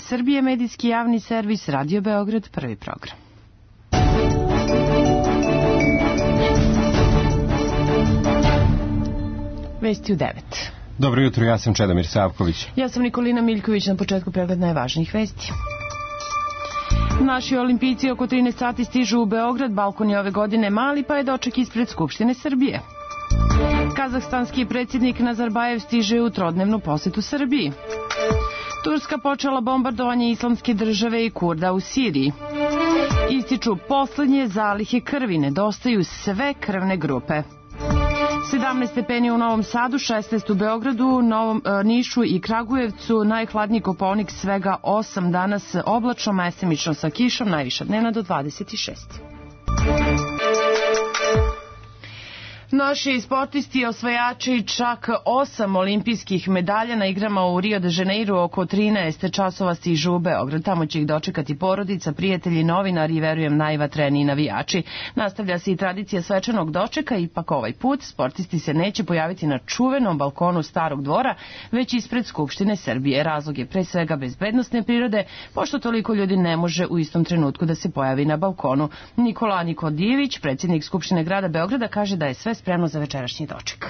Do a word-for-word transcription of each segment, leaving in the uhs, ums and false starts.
Srbije, medijski javni servis, Radio Beograd, prvi program. Vesti u devet. Dobro jutro, ja sam Čedomir Savković. Ja sam Nikolina Miljković, na početku pregled najvažnijih vesti. Naši olimpijci oko trinaest sati stižu u Beograd, balkon je ove godine mali, pa je doček ispred Skupštine Srbije. Kazahstanski predsjednik Nazarbajev stiže u trodnevnu posetu Srbiji. Turska počela bombardovanje islamske države i Kurda u Siriji. Ističu poslednje zalihe krvi, nedostaju sve krvne grupe. sedamnaest stepeni u Novom Sadu, šesnaest u Beogradu, Novom, e, Nišu i Kragujevcu, najhladniji Kopaonik svega osam, danas oblačno, mesemično sa kišom, najviša dnevna do dvadeset šest. Naši sportisti osvajači čak osam olimpijskih medalja na igrama u Rio de Janeiro oko trinaest časova stižu u Beograd. Tamo će ih dočekati porodica, prijatelji, novinari i verujem najvatreniji navijači. Nastavlja se i tradicija svečanog dočeka, ipak ovaj put sportisti se neće pojaviti na čuvenom balkonu Starog dvora, već ispred Skupštine Srbije. Razlog je pre svega bezbednosne prirode, pošto toliko ljudi ne može u istom trenutku da se pojavi na balkonu. Nikola Nikodijević, predsjednik Skupštine grada Beograda, kaže da je sve spremno za večerašnji doček.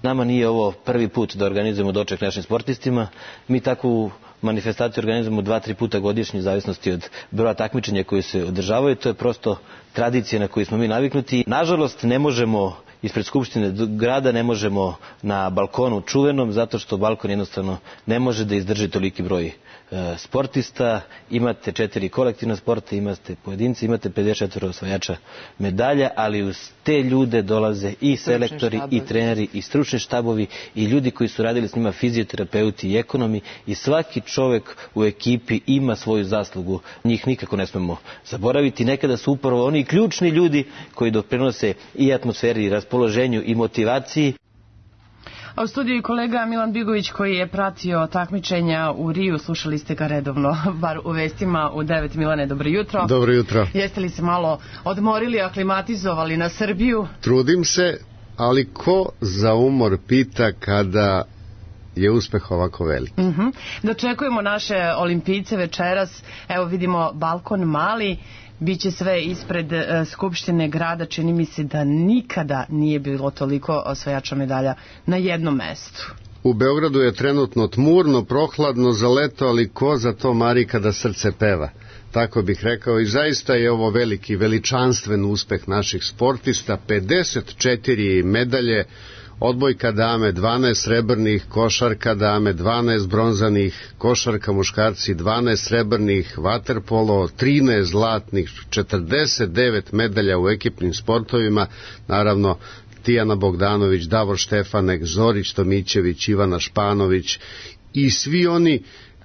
Nama nije ovo prvi put da organizujemo doček našim sportistima. Mi takvu manifestaciju organizujemo dva, tri puta godišnje, u zavisnosti od broja takmičenja koji se održavaju. To je prosto tradicija na koju smo mi naviknuti. Nažalost, ne možemo ispred Skupštine grada, ne možemo na balkonu čuvenom, zato što balkon jednostavno ne može da izdrži toliki broj sportista. Imate četiri kolektivna sporta, imate pojedinci, imate pedeset četiri osvajača medalja, ali uz te ljude dolaze i selektori, i treneri, i stručni štabovi, i ljudi koji su radili s njima, fizioterapeuti i ekonomi, i svaki čovek u ekipi ima svoju zaslugu. Njih nikako ne smemo zaboraviti. Nekada su upravo oni ključni ljudi koji doprinose i atmosferi, i raspoloženju, i motivaciji. A u studiju je kolega Milan Bigović koji je pratio takmičenja u Riju. Slušali ste ga redovno, bar u vestima u devet. Milane, dobro jutro. Dobro jutro. Jeste li se malo odmorili, aklimatizovali na Srbiju? Trudim se, ali ko za umor pita kada je uspeh ovako velik? Uh-huh. Dočekujemo naše olimpijce večeras. Evo vidimo balkon mali. Biće sve ispred uh, Skupštine grada. Čini mi se da nikada nije bilo toliko osvajača medalja na jednom mestu. U Beogradu je trenutno tmurno, prohladno za leto, ali ko za to mari kada srce peva. Tako bih rekao, i zaista je ovo veliki, veličanstven uspeh naših sportista. pedeset četiri medalje, odbojka dame dvanaest srebrnih, košarka dame dvanaest bronzanih, košarka muškarci dvanaest srebrnih, vaterpolo trinaest zlatnih, četrdeset devet medalja u ekipnim sportovima, naravno Tijana Bogdanović, Davor Štefanek, Zorić Tomićević, Ivana Španović i svi oni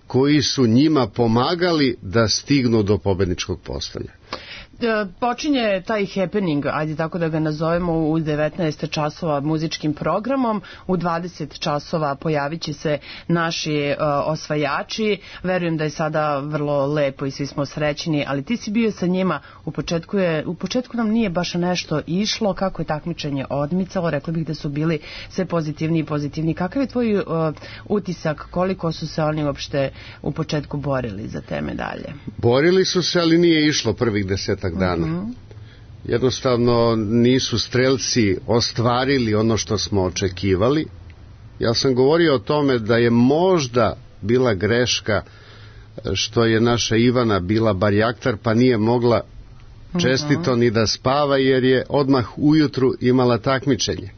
koji su njima pomagali da stignu do pobedničkog postolja. Počinje taj happening, ajde tako da ga nazovemo, u devetnaest časova muzičkim programom. U dvadeset časova pojavit će se naši uh, osvajači. Verujem da je sada vrlo lepo i svi smo srećni, ali ti si bio sa njima. U početku, je, u početku nam nije baš nešto išlo. Kako je takmičenje odmicalo? Rekli bih da su bili sve pozitivni i pozitivni. Kakav je tvoj uh, utisak? Koliko su se oni uopšte u početku borili za te medalje? Borili su se, ali nije išlo prvih deset dana. Uh-huh. Jednostavno nisu strelci ostvarili ono što smo očekivali. Ja sam govorio o tome da je možda bila greška što je naša Ivana bila barjaktar, pa nije mogla čestito uh-huh. ni da spava, jer je odmah ujutru imala takmičenje.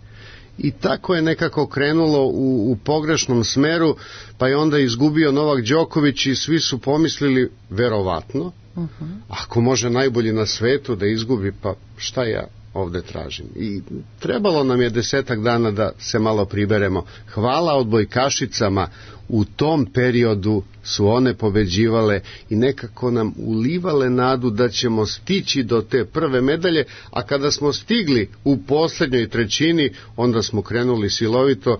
I tako je nekako krenulo u, u pogrešnom smeru, pa je onda izgubio Novak Đoković i svi su pomislili, verovatno, Uh-huh. ako može najbolji na svetu da izgubi, pa šta ja ovde tražim? I trebalo nam je desetak dana da se malo priberemo. Hvala odbojkašicama, u tom periodu su one pobeđivale i nekako nam ulivale nadu da ćemo stići do te prve medalje, a kada smo stigli u poslednjoj trećini, onda smo krenuli silovito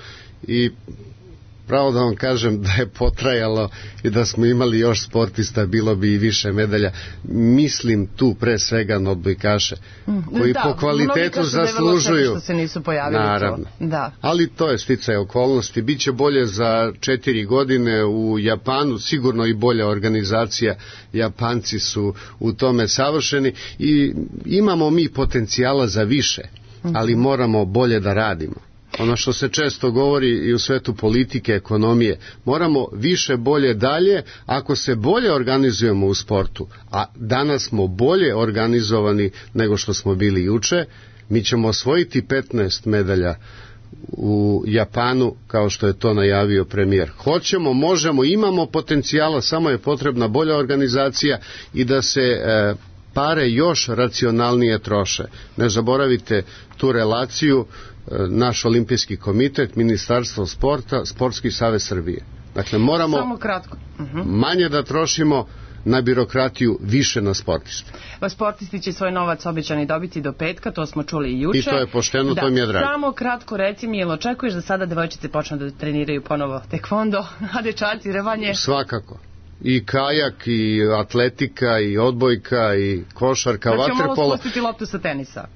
i pravo da vam kažem da je potrajalo i da smo imali još sportista, bilo bi i više medalja. Mislim tu pre svega na odbojkaše, koji da, po kvalitetu zaslužuju. Što se nisu pojavili. Naravno. To. Da. Ali to je sticaj okolnosti. Biće bolje za četiri godine u Japanu, sigurno i bolja organizacija. Japanci su u tome savršeni i imamo mi potencijala za više, ali moramo bolje da radimo. Ono što se često govori i u svetu politike, ekonomije, moramo više, bolje, dalje. Ako se bolje organizujemo u sportu, a danas smo bolje organizovani nego što smo bili juče, mi ćemo osvojiti petnaest medalja u Japanu, kao što je to najavio premijer. Hoćemo, možemo, imamo potencijala, samo je potrebna bolja organizacija i da se e, pare još racionalnije troše. Ne zaboravite tu relaciju, naš olimpijski komitet, Ministarstvo sporta, Sportski savez Srbije. Dakle, moramo Samo kratko. Uh-huh. manje da trošimo na birokratiju, više na sportiste. Pa sportisti će svoj novac obećani dobiti do petka, to smo čuli i juče. I to je pošteno, da, to mi je drago. Samo kratko reci mi, jel očekuješ da sada devojčice počnu da treniraju ponovo tekvondo, a dečaci revanje? Svakako. I kajak, i atletika, i odbojka, i košarka, znači, vaterpolo. Znači, malo spustiti loptu sa tenisa.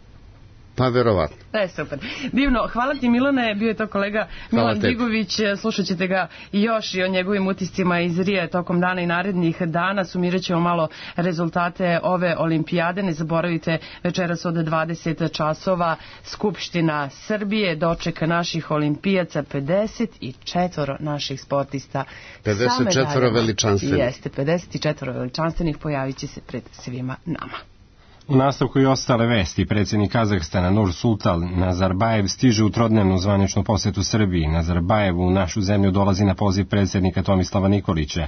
Pa verovatno. E, super. Divno. Hvala ti, Milane. Bio je to kolega Milan Digović. Slušat ćete ga još i o njegovim utiscima iz Rije tokom dana i narednih dana. Sumirat ćemo malo rezultate ove olimpijade. Ne zaboravite, večeras od dvadeset časova Skupština Srbije, doček naših olimpijaca, pedeset četiri naših sportista. pedeset četiri veličanstvenih. Jeste, pedeset četiri veličanstvenih pojavit će se pred svima nama. U nastavku i ostale vesti, predsjednik Kazahstana Nursultan Nazarbajev stiže u trodnevnu zvaničnu posetu Srbiji. Nazarbajev u našu zemlju dolazi na poziv predsjednika Tomislava Nikolića.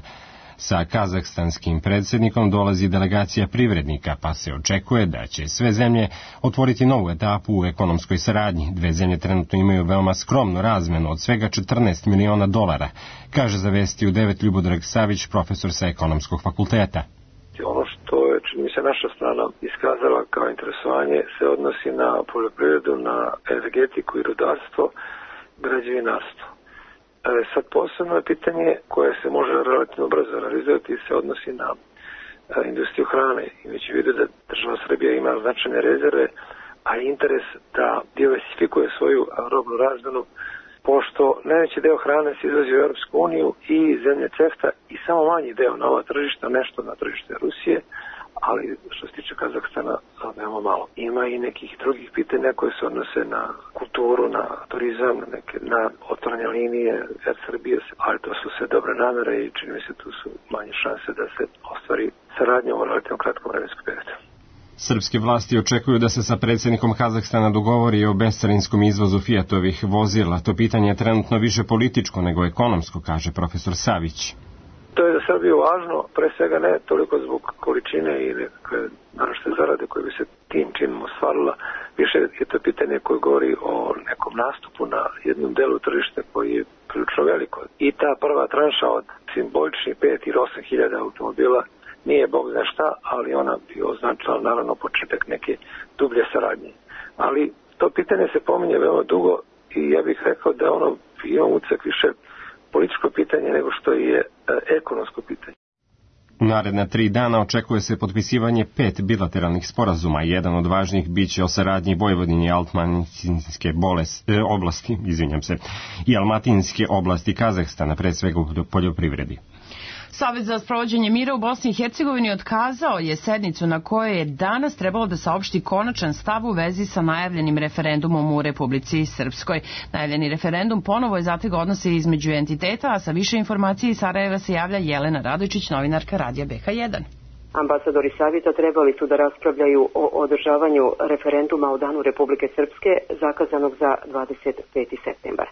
Sa kazahstanskim predsjednikom dolazi delegacija privrednika, pa se očekuje da će sve zemlje otvoriti novu etapu u ekonomskoj saradnji. Dve zemlje trenutno imaju veoma skromnu razmenu od svega četrnaest miliona dolara, kaže za vesti u devet Ljubodrag Savić, profesor sa ekonomskog fakulteta. Ono što je, čini mi se, naša strana iskazala kao interesovanje se odnosi na poljoprivredu, na energetiku i rudarstvo, građevinarstvo. E, sad posebno je pitanje koje se može relativno brzo realizovati se odnosi na e, industriju hrane. Imajući u vidu da država Srbija ima značajne rezerve, a interes da diversifikuje svoju robnu razmenu, pošto najveći deo hrane se izvozi u Europsku uniju i zemlje CEFTA i samo manji deo na ova tržišta, nešto na tržište Rusije, ali što se tiče Kazahstana, veoma malo. Ima i nekih drugih pitanja koje se odnose na kulturu, na turizam, na, neke, na otvorene linije Air Srbije, ali to su sve dobre namere i čini mi se tu su manje šanse da se ostvari saradnja u relativno kratkom vremenskom periodu. Srpske vlasti očekuju da se sa predsjednikom Kazahstana dogovori o bescarinskom izvozu Fiatovih vozila. To pitanje je trenutno više političko nego ekonomsko, kaže profesor Savić. To je za Srbiju važno, pre svega ne toliko zbog količine i nekakve naročite zarade koje bi se tim činom ostvarila. Više je to pitanje koje govori o nekom nastupu na jednom delu tržišta koji je prilično veliko. I ta prva tranša od simboličnih pet ili osam hiljada automobila nije bog zna šta, ali ona bi označila naravno početak neke dublje saradnje. Ali to pitanje se pominje veoma dugo i ja bih rekao da ono ima ucak više političko pitanje nego što je e, ekonomsko pitanje. U naredna tri dana očekuje se potpisivanje pet bilateralnih sporazuma. Jedan od važnijih biće o saradnji Vojvodini i Almatinske oblasti, izvinjam se, i Almatinske oblasti Kazahstana, pred svega u poljoprivredi. Savez za sprovođenje mira u Bosni i Hercegovini otkazao je sednicu na kojoj je danas trebalo da saopšti konačan stav u vezi sa najavljenim referendumom u Republici Srpskoj. Najavljeni referendum ponovo je zategao odnose između entiteta, a sa više informacije iz Sarajeva se javlja Jelena Radojčić, novinarka Radija B H jedan. Ambasadori savjeta trebali su da raspravljaju o održavanju referenduma o Danu Republike Srpske zakazanog za dvadeset peti septembar.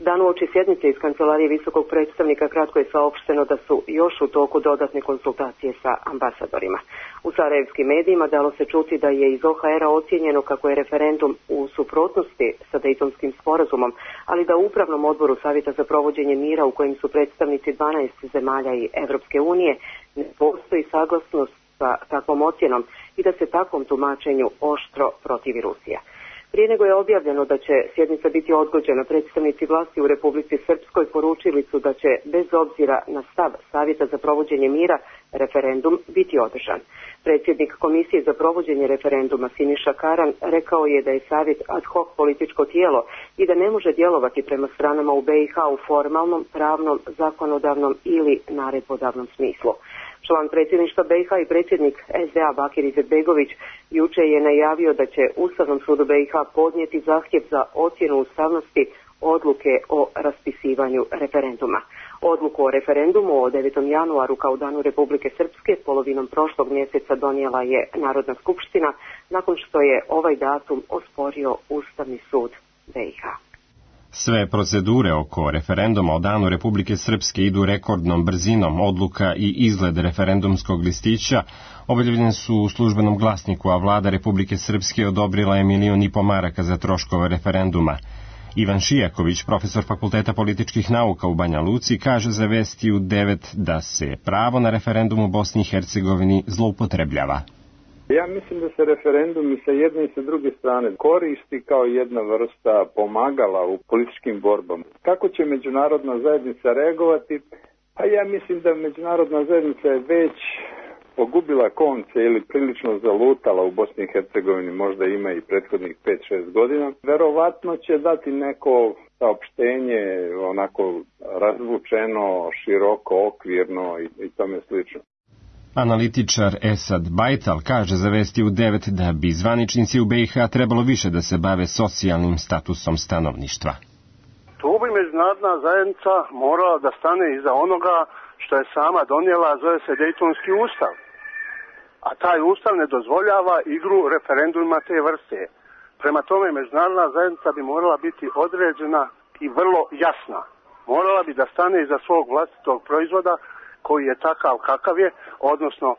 Dan uoči sjednice iz kancelarije visokog predstavnika kratko je saopšteno da su još u toku dodatne konsultacije sa ambasadorima. U sarajevskim medijima dalo se čuti da je iz O H R-a ocijenjeno kako je referendum u suprotnosti sa Dejtonskim sporazumom, ali da u Upravnom odboru Savjeta za provođenje mira u kojem su predstavnici dvanaest zemalja i Evropske unije ne postoji saglasnost sa takvom ocjenom i da se takvom tumačenju oštro protivi Rusija. Prije nego je objavljeno da će sjednica biti odgođena, predstavnici vlasti u Republici Srpskoj poručili su da će, bez obzira na stav Savjeta za provođenje mira, referendum biti održan. Predsjednik Komisije za provođenje referenduma Siniša Karan rekao je da je Savjet ad hoc političko tijelo i da ne može djelovati prema stranama u be i ha u formalnom, pravnom, zakonodavnom ili naredbodavnom smislu. Član predsjedništva be i ha i predsjednik es de a Bakir Izetbegović juče je najavio da će Ustavnom sudu be i ha podnijeti zahtjev za ocjenu ustavnosti odluke o raspisivanju referenduma. Odluku o referendumu o devetom januaru kao danu Republike Srpske polovinom prošlog mjeseca donijela je Narodna skupština nakon što je ovaj datum osporio Ustavni sud be i ha. Sve procedure oko referenduma o danu Republike Srpske idu rekordnom brzinom. Odluka i izgled referendumskog listića objavljene su u službenom glasniku, a vlada Republike Srpske odobrila je milion i po maraka za troškove referenduma. Ivan Šijaković, profesor Fakulteta političkih nauka u Banja Luci, kaže za Vesti u devet da se pravo na referendum u Bosni i Hercegovini zloupotrebljava. Ja mislim da se referendum i sa jedne i sa druge strane koristi kao jedna vrsta pomagala u političkim borbama. Kako će međunarodna zajednica reagovati? Pa ja mislim da međunarodna zajednica je već pogubila konce ili prilično zalutala u Bosni i Hercegovini, možda ima i prethodnih pet šest godina. Verovatno će dati neko saopštenje onako razvučeno, široko, okvirno i, i tome slično. Analitičar Esad Bajtal kaže za Vesti u devet da bi zvaničnici u be i ha trebalo više da se bave socijalnim statusom stanovništva. Tu bi međunarodna zajednica morala da stane iza onoga što je sama donijela, zove se Dejtonski ustav. A taj ustav ne dozvoljava igru referenduma te vrste. Prema tome međunarodna zajednica bi morala biti određena i vrlo jasna. Morala bi da stane iza svog vlastitog proizvoda koji je takav kakav je, odnosno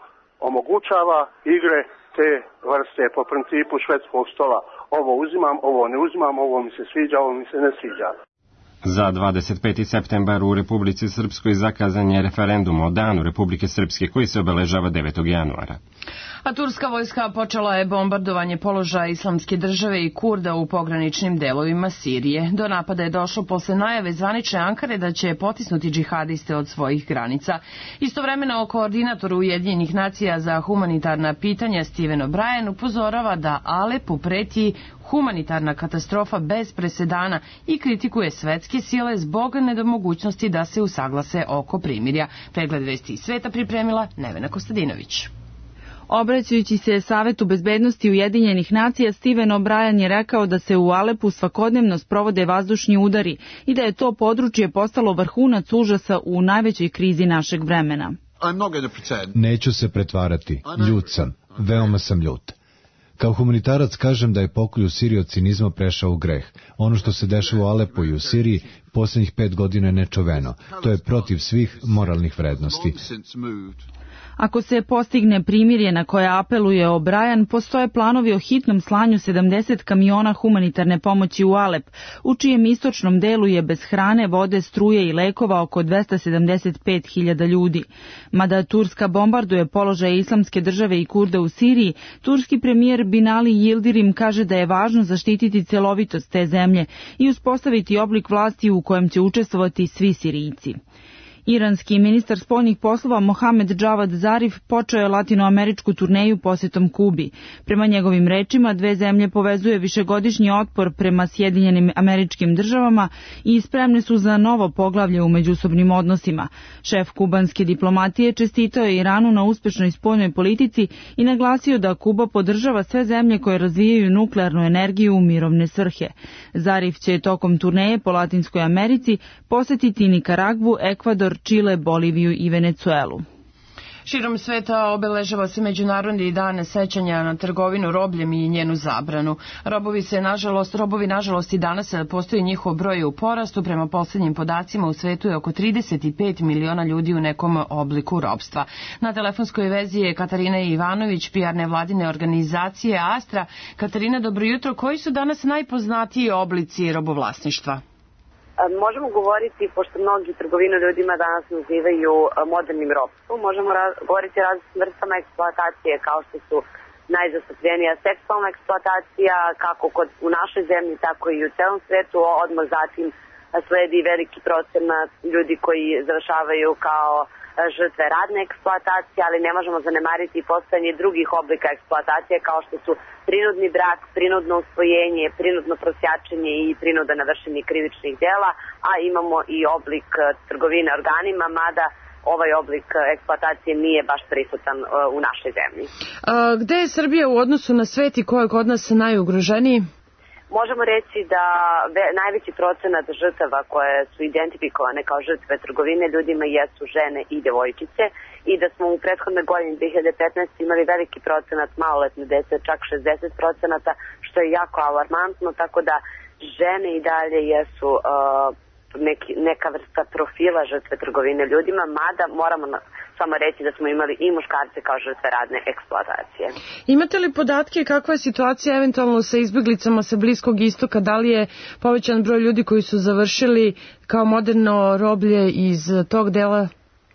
omogućava igre te vrste po principu švedskog stola. Ovo uzimam, ovo ne uzimam, ovo mi se sviđa, ovo mi se ne sviđa. Za dvadeset peti septembar u Republici Srpskoj zakazan je referendum o danu Republike Srpske koji se obeležava devetog januara. A turska vojska počela je bombardovanje položaja Islamske države i Kurda u pograničnim delovima Sirije. Do napada je došlo posle najave zvanične Ankare da će potisnuti džihadiste od svojih granica. Istovremeno, koordinator Ujedinjenih nacija za humanitarna pitanja Stephen O'Brien upozorava da Alepu preti humanitarna katastrofa bez presedana i kritikuje svetske sile zbog nedomogućnosti da se usaglase oko primirja. Pregled Vesti iz sveta pripremila Nevena Kostadinović. Obraćajući se Savetu bezbednosti Ujedinjenih nacija, Stephen O'Brien je rekao da se u Alepu svakodnevno sprovode vazdušni udari i da je to područje postalo vrhunac užasa u najvećoj krizi našeg vremena. Neću se pretvarati, ljut sam, veoma sam ljut. Kao humanitarac kažem da je pokolj u Siriji od cinizma prešao u greh. Ono što se dešava u Alepu i u Siriji posljednjih pet godina je nečuveno. To je protiv svih moralnih vrednosti. Ako se postigne primirje na koje apeluje O'Brien, postoje planovi o hitnom slanju sedamdeset kamiona humanitarne pomoći u Alep, u čijem istočnom delu je bez hrane, vode, struje i lekova oko dvesta sedamdeset pet hiljada ljudi. Mada Turska bombarduje položaje Islamske države i Kurda u Siriji, turski premijer Binali Yildirim kaže da je važno zaštititi celovitost te zemlje i uspostaviti oblik vlasti u kojem će učestvovati svi Sirijci. Iranski ministar spoljnih poslova Mohamed Javad Zarif počeo je latinoameričku turneju posjetom Kubi. Prema njegovim rečima, dve zemlje povezuje višegodišnji otpor prema Sjedinjenim Američkim Državama i spremne su za novo poglavlje u međusobnim odnosima. Šef kubanske diplomatije čestitao je Iranu na uspešnoj spoljnoj politici i naglasio da Kuba podržava sve zemlje koje razvijaju nuklearnu energiju u mirovne svrhe. Zarif će tokom turneje po Latinskoj Americi posjetiti Nikaragvu, Ekvador, Čile, Boliviju i Venecuelu. Širom sveta obeležava se Međunarodni dan sećanja na trgovinu robljem i njenu zabranu. Robovi se, nažalost, robovi nažalost i danas postoji njihov broj u porastu. Prema posljednjim podacima u svetu je oko trideset pet miliona ljudi u nekom obliku robstva. Na telefonskoj vezi je Katarina Ivanović, P R nevladine organizacije Astra. Katarina, dobro jutro. Koji su danas najpoznatiji oblici robovlasništva? Možemo govoriti, pošto mnogi trgovinu ljudima danas nazivaju modernim ropstvom, možemo raz, govoriti o različitim vrstama eksploatacije kao što su najzastupljenija seksualna eksploatacija, kako kod, u našoj zemlji, tako i u celom svetu. Odmah zatim sledi veliki procenat ljudi koji završavaju kao žrtve radne eksploatacije, ali ne možemo zanemariti i postojanje drugih oblika eksploatacije kao što su prinudni brak, prinudno usvojenje, prinudno prosjačenje i prinuda na vršenje krivičnih dela, a imamo i oblik trgovine organima, mada ovaj oblik eksploatacije nije baš prisutan u našoj zemlji. A, gde je Srbija u odnosu na svet i ko je kod nas najugroženiji? Možemo reći da najveći procenat žrtava koje su identifikovane kao žrtve trgovine ljudima jesu žene i devojčice i da smo u prethodnoj godini dve hiljade petnaeste. imali veliki procenat maloletne dece, čak šezdeset procenata, što je jako alarmantno, tako da žene i dalje jesu uh, neki, neka vrsta profila žrtve trgovine ljudima, mada moramo na, samo reći da smo imali i muškarce kao žrtve radne eksploatacije. Imate li podatke kakva je situacija eventualno sa izbjeglicama sa Bliskog istoka? Da li je povećan broj ljudi koji su završili kao moderno roblje iz tog dela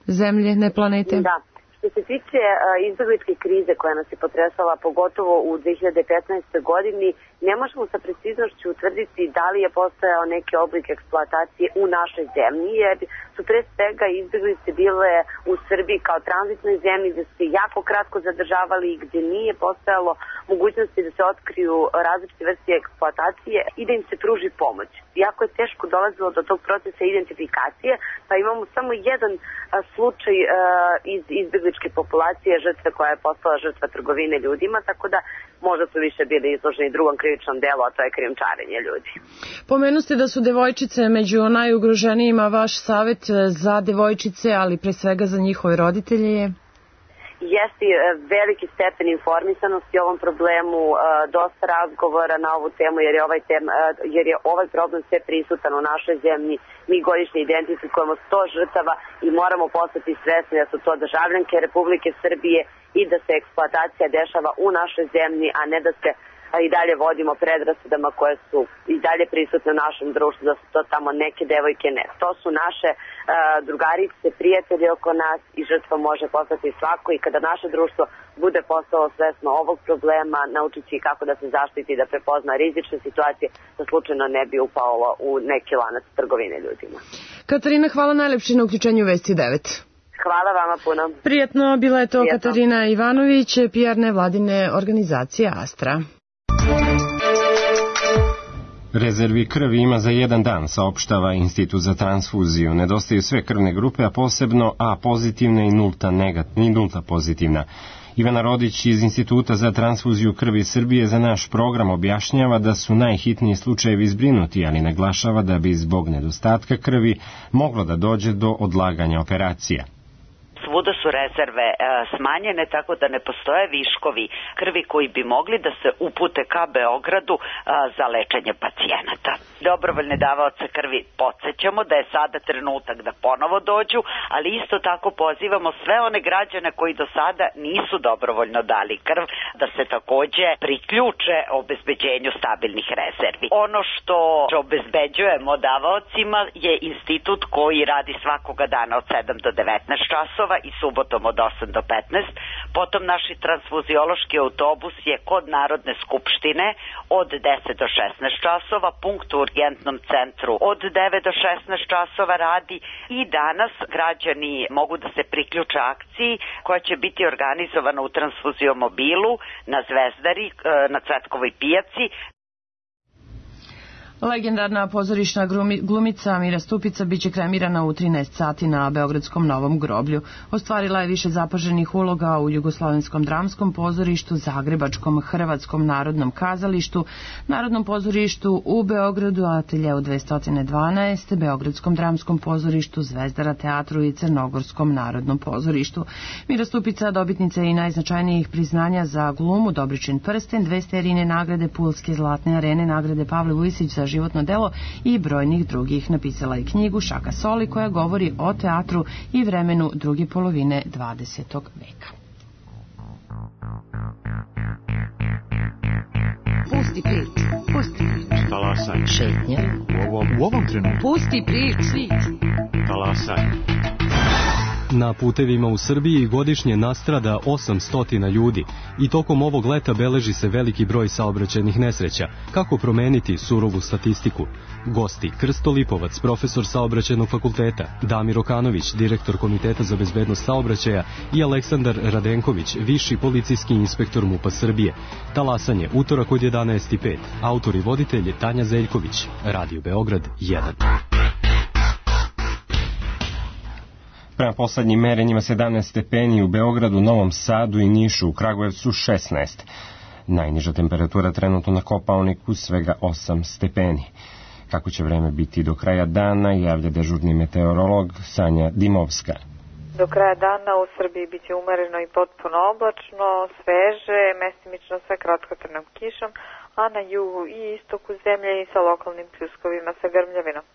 zemlje, ne planete? Da. Što se tiče uh, izbjegličke krize koja nas je potresala, pogotovo u dve hiljade petnaestoj. godini, ne možemo sa preciznošću utvrditi da li je postojao neki oblik eksploatacije u našoj zemlji, jer su pre svega izbjeglice bile u Srbiji kao tranzitnoj zemlji gde se jako kratko zadržavali i gde nije postojalo mogućnosti da se otkriju različite vrste eksploatacije i da im se pruži pomoć. Jako je teško dolazilo do tog procesa identifikacije, pa imamo samo jedan a, slučaj a, iz izbjegličke populacije žrtve koja je postala žrtva trgovine ljudima, tako da možda su više bili izloženi drugom krivičnom delu, a to je krijumčarenje ljudi. Pomenuste da su devojčice među najugroženijima. Vaš savjet za devojčice, ali pre svega za njihove roditelje je? Jeste veliki stepen informisanosti o ovom problemu, dosta razgovora na ovu temu, jer je ovaj, tema, jer je ovaj problem sve prisutan u našoj zemlji. Mi godišnje identifikujemo sto žrtava i moramo postati svesni da su to državljanke Republike Srbije i da se eksploatacija dešava u našoj zemlji, a ne da se i dalje vodimo predrasudama koje su i dalje prisutne u našem društvu, da su to tamo neke devojke. Ne, to su naše uh, drugarice, prijatelji oko nas i žrtva može postati svako i kada naše društvo bude postalo svesno ovog problema, naučići kako da se zaštiti i da prepozna rizične situacije, da slučajno ne bi upalo u neki lanac trgovine ljudima. Katarina, hvala najlepše na uključenju Vesti devet. Hvala vama puno. Prijatno, bila je to Prijatno. Katarina Ivanović, P R nevladine organizacije Astra. Rezervi krvi ima za jedan dan, saopštava Institut za transfuziju. Nedostaju sve krvne grupe, a posebno A pozitivna i nulta, negat, i nulta pozitivna. Ivana Rodić iz Instituta za transfuziju krvi Srbije za naš program objašnjava da su najhitniji slučajevi zbrinuti, ali naglašava da bi zbog nedostatka krvi moglo da dođe do odlaganja operacija. Svuda su rezerve e, smanjene, tako da ne postoje viškovi krvi koji bi mogli da se upute ka Beogradu e, za lečenje pacijenata. Dobrovoljne davaoce krvi podsjećamo da je sada trenutak da ponovo dođu, ali isto tako pozivamo sve one građane koji do sada nisu dobrovoljno dali krv da se takođe priključe obezbeđenju stabilnih rezervi. Ono što obezbeđujemo davaocima je institut koji radi svakoga dana od sedam do devetnaest časova i subotom od osam do petnaest. Potom naši transfuziološki autobus je kod Narodne skupštine od deset do šesnaest časova, punkt u urgentnom centru od devet do šesnaest časova radi i danas građani mogu da se priključe akciji koja će biti organizovana u transfuziomobilu na Zvezdari, na Cvetkovoj pijaci. Legendarna pozorišna glumica Mira Stupica biće kremirana u trinaest sati na Beogradskom Novom groblju. Ostvarila je više zapaženih uloga u Jugoslovenskom dramskom pozorištu, Zagrebačkom Hrvatskom narodnom kazalištu, Narodnom pozorištu u Beogradu, Ateljeu dvesta dvanaest, Beogradskom dramskom pozorištu, Zvezdara teatru i Crnogorskom narodnom pozorištu. Mira Stupica dobitnica je i najznačajnijih priznanja za glumu, Dobričin prsten, dve Sterijine nagrade, Pulske zlatne arene, nagrade Pavle Vujsić za životno delo i brojnih drugih. Napisala je knjigu Šaka Soli koja govori o teatru i vremenu druge polovine dvadesetog veka. Pusti prič, pusti prič. Talasaj. Šetnja. U ovom, u ovom trenutku. Pusti prič, svit. Talasaj. Na putevima u Srbiji godišnje nastrada osamsto ljudi i tokom ovog leta beleži se veliki broj saobraćajnih nesreća. Kako promeniti surovu statistiku? Gosti Krsto Lipovac, profesor saobraćajnog fakulteta, Damir Okanović, direktor Komiteta za bezbednost saobraćaja i Aleksandar Radenković, viši policijski inspektor MUP-a Srbije. Talasanje, utorak od jedanaest i pet. Autor i voditelj je Tanja Zeljković. Radio Beograd jedan. Prema poslednjim merenjima sedamnaest stepeni u Beogradu, Novom Sadu i Nišu, u Kragujevcu šesnaest. Najniža temperatura trenutno na Kopaoniku svega osam stepeni. Kako će vreme biti do kraja dana, javlja dežurni meteorolog Sanja Dimovska. Do kraja dana u Srbiji biće umereno i potpuno oblačno, sveže, mestimično sa kratkotrajnom kišom, a na jugu i istoku zemlje i sa lokalnim pljuskovima sa grmljavinom.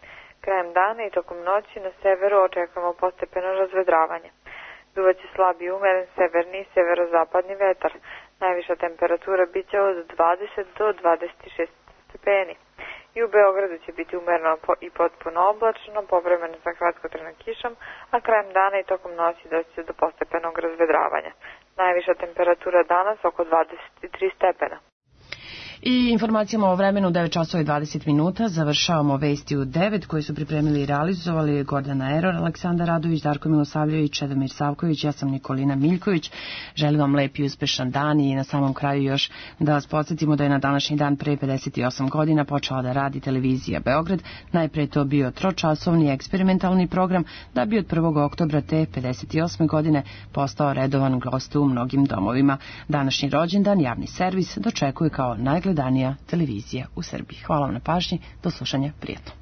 Krajem dana i tokom noći na severu očekujemo postepeno razvedravanje. Duvaće slab i umeren severni i severozapadni vetar. Najviša temperatura biće od dvadeset do dvadeset šest stepeni. I u Beogradu će biti umereno i potpuno oblačno, povremeno sa kratkotrajnom kišom, a krajem dana i tokom noći doći će do postepenog razvedravanja. Najviša temperatura danas oko dvadeset tri stepena. I informacijama o vremenu u devet časova i dvadeset minuta završavamo vesti u devet koje su pripremili i realizovali Gordana Eror, Aleksandar Radović, Darko Milosavljević, Čedomir Savković, ja sam Nikolina Miljković. Želim vam lep i uspešan dan i na samom kraju još da vas podsjetimo da je na današnji dan pre pedeset osam godina počela da radi televizija Beograd. Najpre to bio tročasovni eksperimentalni program da bi od prvog oktobra te pedeset osme godine postao redovan gost u mnogim domovima. Današnji rođendan javni servis dočekuje kao najgledanija televizija u Srbiji. Hvala vam na pažnji, do slušanja, prijatno.